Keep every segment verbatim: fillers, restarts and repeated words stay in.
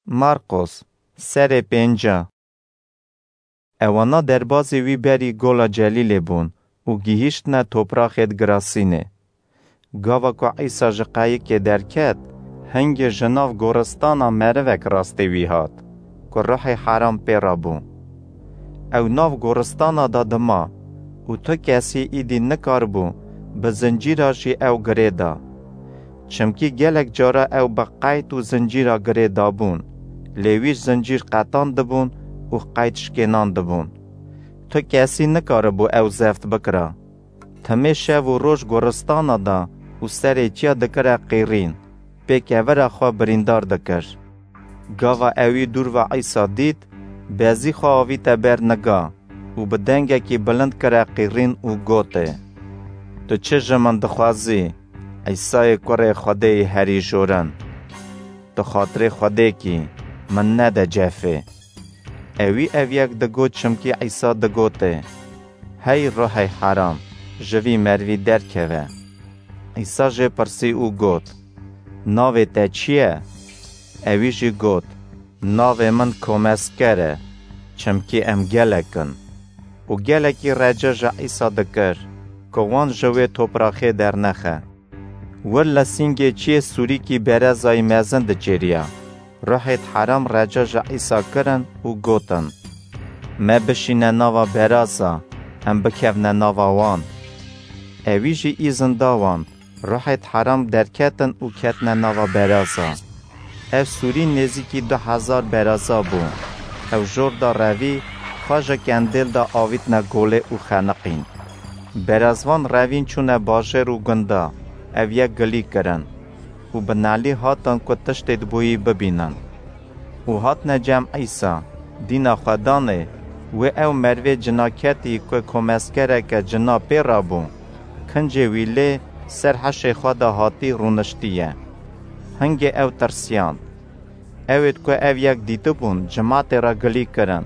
Marqos, serê pênca. Ewana derbazî wî berî gola Celîlê bûn û gihîştine topraxê Girasînê. Gava ku Îsa ji qeyikê derket, hingê ji nav goristana merivek rastê wî hat, ku ruhê heram pê re bû. Ew nav goristana de dima û tu kesî îdî nikaribû bi zincîra jî ew girê da. Çimkî gelek cara ew bi qeyd û zincîra girê dabûn, lê wî zincîr qetandibûn û qeyd şikênandibûn. Tu kesî nikaribû ew zeft bikira. Timê şev û roj goristana da û serê çiya dikire qîrîn, pê kevira xwe birîndar dikir. Gava ewî dûr ve Îsa dît, bezî xwe avîte ber niga û bi dengekî bilind kire qîrîn û gotê, "Tu çi ji min dixwazî, Îsayê kurê Xwedêyê herî jorin? Tu xatirê Xwedê kî, min nede cefê." Ewî ev yek digot, çimkî Îsa digotê, "Hey ruhê heram, ji vî merivî derkeve." Îsa jê pirsî û got, "Navê te çi ye?" Ewî jî got, "Navê min Komesker e, çimkî em gelek in." Û gelekî reca ji Îsa dikir, ku wan ji wê topraxê dernexe. Wir li sîngê çiyê sûrîkî berezayî mezin diçêriya. Ruhêt heram reca ji Îsa kirin û gotin, "Me bişîne nava beraza, em bikevne nava wan." Ewî jî îzin da wan, ruhêt heram derketin û ketine nava beraza. Ev sûrî nêzîkî du hezar beraza bû. Ew jor da revî, xwe ji kendêl de avîtine golê û xeniqîn. Berazvan revîn çûne bajêr û gunda, ev yek gilî kirin û bi nelî hatin ku tiştê dibûyî bibînin. Û hatine cem Îsa, dîna xwe danê, wê ew merivê cinaketî ku komeskereke cina pê rabû, kincê wî lê ser heşê xwe de hatî rûniştiye. Hingê ew tirsiyan. Ewêt ku ev yek dîtibûn, cimatê re gilî kirin,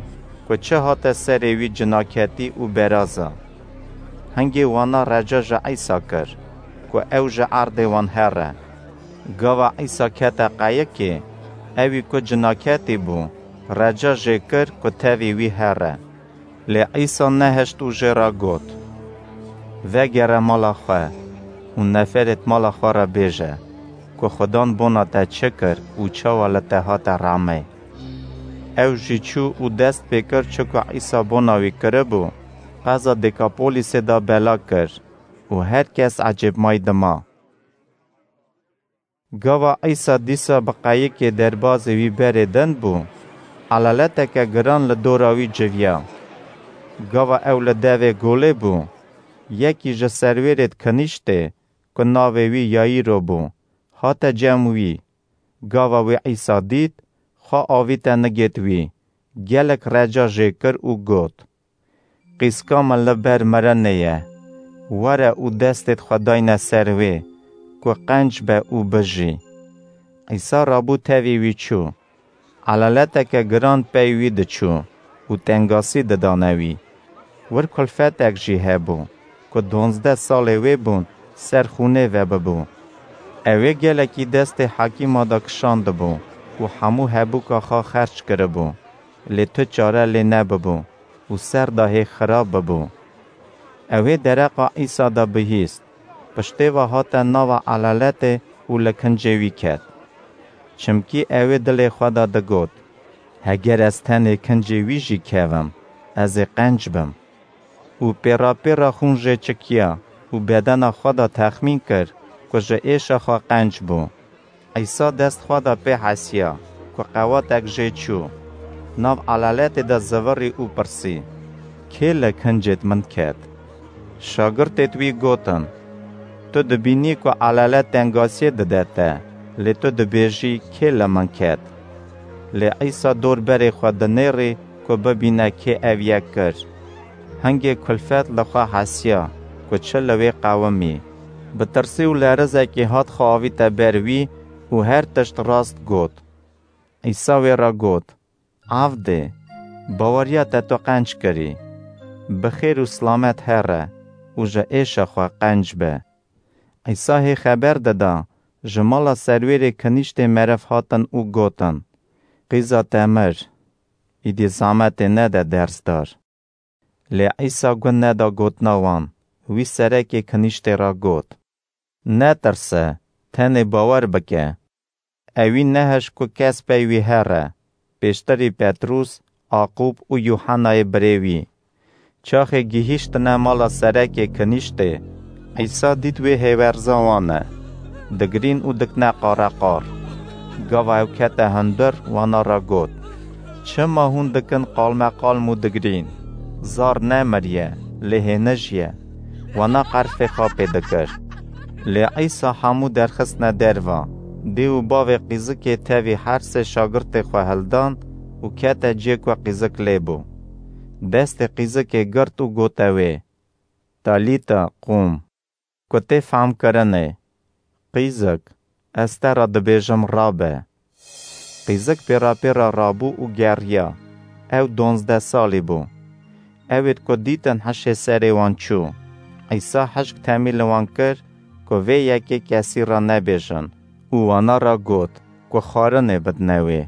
ku çi hate serê wî cinaketî û beraza. Hingê wana reca ji Îsa kir, ku ew ji erdê wan here. Gava Îsa kete qeyikê, ewî ku cinaketî bû, reca jê kir ku tevî wî here. Lê Îsa nehişt û jê re got, "Vegere mala xwe û neferêt mala xwe re bêje, ku Xudan bona te çi kir û çawa li te hate remê." Ew jî çû û dest pê kir, çi ku Îsa bona wî kiribû, qeza Dekapolîsê de bela kir û her kes ecêbmayî dima. Gava Îsa dîsa bi qeyikê derbazê wî berê din bû, elaleteke giran li dora wî civiya. Gava ew li devê golê bû, yekî ji serwêrêt kinîştê, ku navê wî Yayîro bû, hate cem wî. Gava wî Îsa dît, xwe avîte nigêt wî, gelek reca jê kir û got, "Qîska min li ber mirinê ye. Were û destêt xwe dayne ser wê, ku qenc be û bijî." Îsa rabû tevî wî çû. Elaleteke giran pey wî diçû û tengasî didane wî. Wir kulfetek jî hebû, ku duwazdeh salê wê bûn ser xûnê vebibû. Ewê gelekî destê hekîma de kişandibû û hemû hebûka xwe xerc kiribû, lê tu çare lê nebibû û ser de hê xirab bibû. Ewê dereqa Îsa de bihîst, piştê ve hate nava elaletê û li kincê wî ket. Çimkî ewê dilê xwe de digot, "Heger ez tenê kincê wî jî kevim, ez ê qenc bim." Û pêra pêra xûn jê çikiya û bedena xwe de texmîn kir, ku ji êşa xwe qenc bû. Îsa dest xwe de pê hesiya, ku qewatek jê çû. Nav elaletê de zivirî û pirsî, "Kê li kincêt min ket?" Şagirtêt wî gotin, "Tu dibînî ku elalet tengasiyê dide te, lê tu dibêjî, 'Kê li min ket?'" Lê Îsa dor berê xwe dinêrî, ku bibîne kê ev yek kir. Hingê kulfet li xwe hesiya, ku çi li wê qewimî. Bi tirsî û lerizekî hat xwe avîte ber wî û her tişt rast got. Îsa wê re got, "Avdê, baweriya te tu qenc kirî. Bi xêr û silamet here û ji êşa xwe qenc be." Îsa hê xeber dida, ji mala serwêrê kinîştê meriv hatin û gotin, Qîza te mir, îdî zehmetê nede dersdar. Lê Îsa gu neda gotina wan, wî serekê kinîştê re got: Netirse, tenê bawer bike. Ewî nehişt ku kes pey wî here, pêştirî Petrûs, Aqûb û Yûhenayê birê wî. Çaxê gihîştine mala serekê kinîştê, Îsa dît wê hêwerza wan e, digirîn û dikne qareqar. Gava ew kete hundir, wana re got: Çima hûn dikin qalmeqalm û digirîn? Zar nemiriye, lê hênij ye. Wana qerfê xapê dikir. Lê Îsa hemû derxistine derva. Dê û bavê qîzikê tevî her sê şagirtê xwe hildan û kete cê ku qîzik lê bû. Destê qîzikê girt û gote wê: Talîta qûm, ku tê fehmkirinê: Qîzik, ez te re dibêjim, rabe. Qîzik pêrapêra rabû û geriya. Ew donzdeh salî bû. Ewêd ku dîtin hişê serê wan çû. Îsa hişk temî li wan kir ku vê yekê kesî re nebêjin û wana re got ku xwarinê bidne wê.